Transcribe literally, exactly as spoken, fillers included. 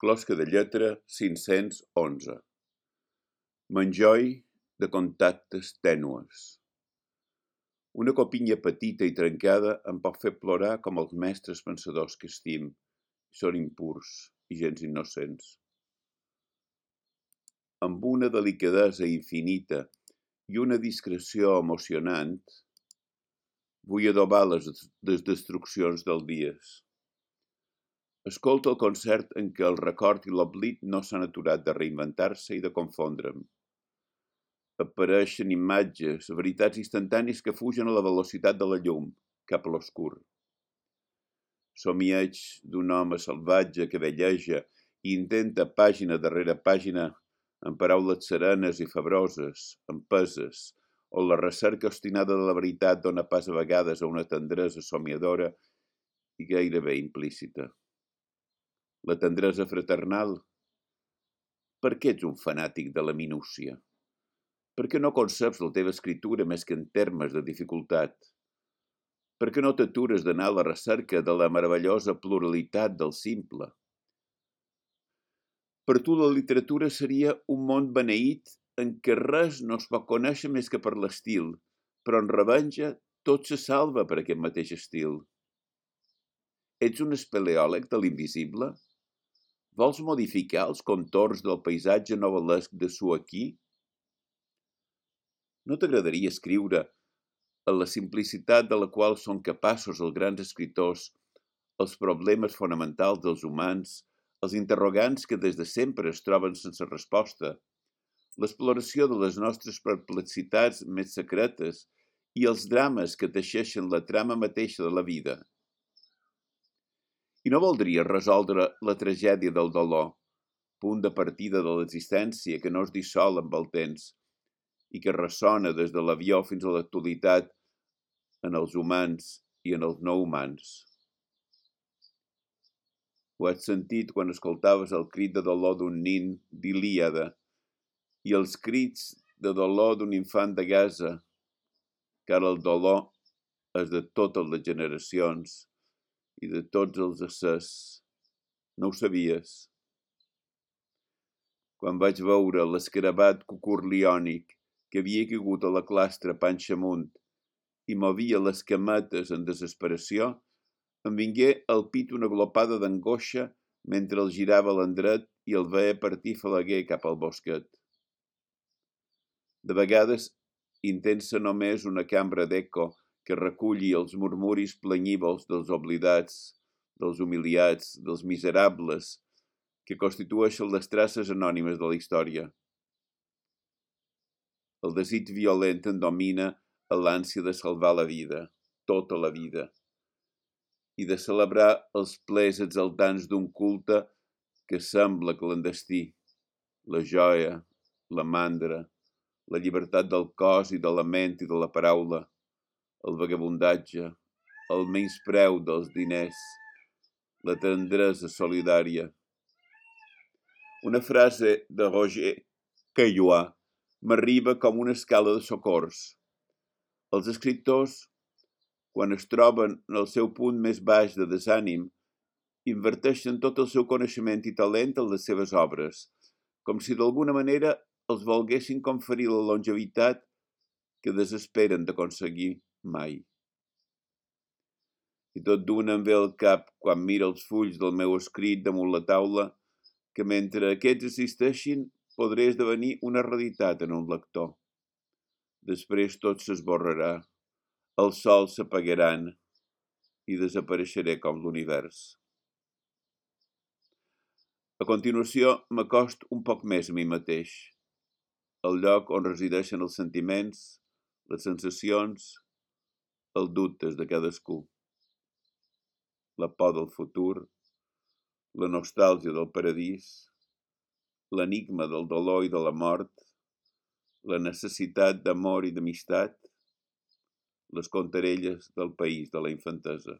Closca de lletra cinc-cents onze. M'enjoi de contactes tènues. Una copinya petita i trencada em pot fer plorar com els mestres pensadors que estim. Són impurs i gens innocents. Amb una delicadesa infinita i una discreció emocionant, vull adobar les, les destruccions del dies. Escolto el concert en què el record i l'oblit no s'han aturat de reinventar-se i de confondre'm. Apareixen imatges, veritats instantànies que fugen a la velocitat de la llum, cap a l'oscur. Somieig d'un home salvatge que velleja i intenta pàgina darrere pàgina amb paraules serenes i febroses, empeses, on la recerca obstinada de la veritat dona pas a vegades a una tendresa somiadora i gairebé implícita. La tendresa fraternal? Per què ets un fanàtic de la minúcia? Per què no conceps la teva escriptura més que en termes de dificultat? Per què no t'atures d'anar a la recerca de la meravellosa pluralitat del simple? Per tu la literatura seria un món beneït en què res no es pot conèixer més que per l'estil, però en revenja tot se salva per aquest mateix estil. Ets un espeleòleg de l'invisible? Vols modificar els contorns del paisatge novel·lesc de Suaquí? No t'agradaria escriure a la simplicitat de la qual són capaços els grans escriptors, els problemes fonamentals dels humans, els interrogants que des de sempre es troben sense resposta, l'exploració de les nostres perplexitats més secretes i els drames que teixeixen la trama mateixa de la vida? I no voldries resoldre la tragèdia del dolor, punt de partida de l'existència que no es dissol amb el temps i que ressona des de l'avió fins a l'actualitat en els humans i en els no humans. Ho has sentit quan escoltaves el crit de dolor d'un nin d'Ilíada i els crits de dolor d'un infant de Gaza, que ara el dolor és de totes les generacions i de tots els éssers. No ho sabies? Quan vaig veure l'escarabat cucurliònic que havia caigut a la clastra panxa amunt i movia les cametes en desesperació, em vingué al pit una glopada d'angoixa mentre el girava a l'endret i el veia partir falaguer cap al bosquet. De vegades intensa només una cambra d'eco que reculli els murmuris plenyívols dels oblidats, dels humiliats, dels miserables, que constitueixen les traces anònimes de la història. El desig violent en domina a l'ànsia de salvar la vida, tota la vida, i de celebrar els plers exaltants d'un culte que sembla clandestí, la joia, la mandra, la llibertat del cos i de la ment i de la paraula, el vagabundatge, el menyspreu dels diners, la tendresa solidària. Una frase de Roger Caillois m'arriba com una escala de socors. Els escriptors, quan es troben en el seu punt més baix de desànim, inverteixen tot el seu coneixement i talent en les seves obres, com si d'alguna manera els volguessin conferir la longevitat que desesperen d'aconseguir mai. I tot d'una em ve al cap, quan miro els fulls del meu escrit damunt la taula, que mentre aquests existeixin podré esdevenir una realitat en un lector. Després tot s'esborrarà, els sols s'apagaran i desapareixeré com l'univers. A continuació m'acosto un poc més a mi mateix, el lloc on resideixen els sentiments, les sensacions, els dubtes de cadascú, la por del futur, la nostàlgia del paradís, l'enigma del dolor i de la mort, la necessitat d'amor i d'amistat, les contarelles del país de la infantesa.